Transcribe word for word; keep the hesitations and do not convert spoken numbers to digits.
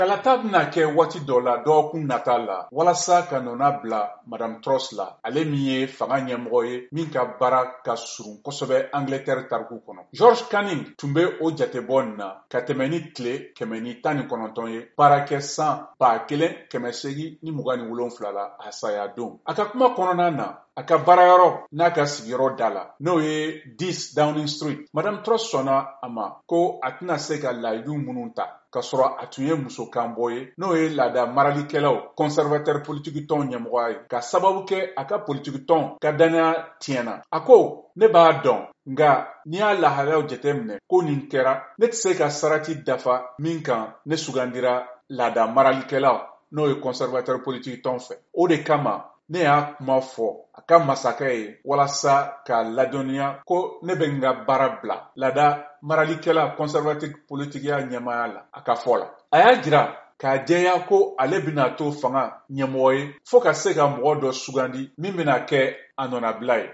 Kalata bɛna kɛ waati dɔ la dɔgɔkun nata la walasa ka nɔna bila Madame Truss la, ale min ye fanga ɲɛmɔgɔ ye min ka baara ka surun kosɛbɛ Angleterre tariku kɔnɔ. George Canning tun bɛ o jatebɔ nin na ka tɛmɛ ni tile kɛmɛ ni tan ni kɔnɔntɔn ye baara kɛ san ba kelen kɛmɛ seegin ni mugan ni wolonfila la a saya don. A ka kuma kɔnɔna na, a ka baarayɔrɔ n'a ka sigiyɔrɔ da la, n'o ye dix Downing Street, Madame Truss sɔnna a ma ko a tɛna se ka layidu minnu ta k'a sɔrɔ a tun ye musokanbɔ ye, n'o ye laada maralikɛlaw conservateur politiki tɔn ɲɛmɔgɔya ye, ka sababu kɛ a ka politiki tɔn ka danaya tiɲɛna. A ko ne b'a dɔn, nka n'i y'a lahalayaw jateminɛ ko nin kɛra, ne tɛ se ka sarati dafa min kan ne sugandira laada maralikɛlaw, n'o ye conservateur politiki tɔn fɛ. O de kama ne y'a kuma fɔ a ka masakɛ ye walasa k'a ladɔnniya ko ne bɛ n ka baara bila laada maralikɛla conservative politikiya ɲɛmaaya la. A ka fɔ la, a y'a jira k'a jɛya ko ale bɛna to fanga ɲɛmɔgɔ ye fo ka se ka mɔgɔ dɔ sugandi min bɛna kɛ a nɔnabila ye.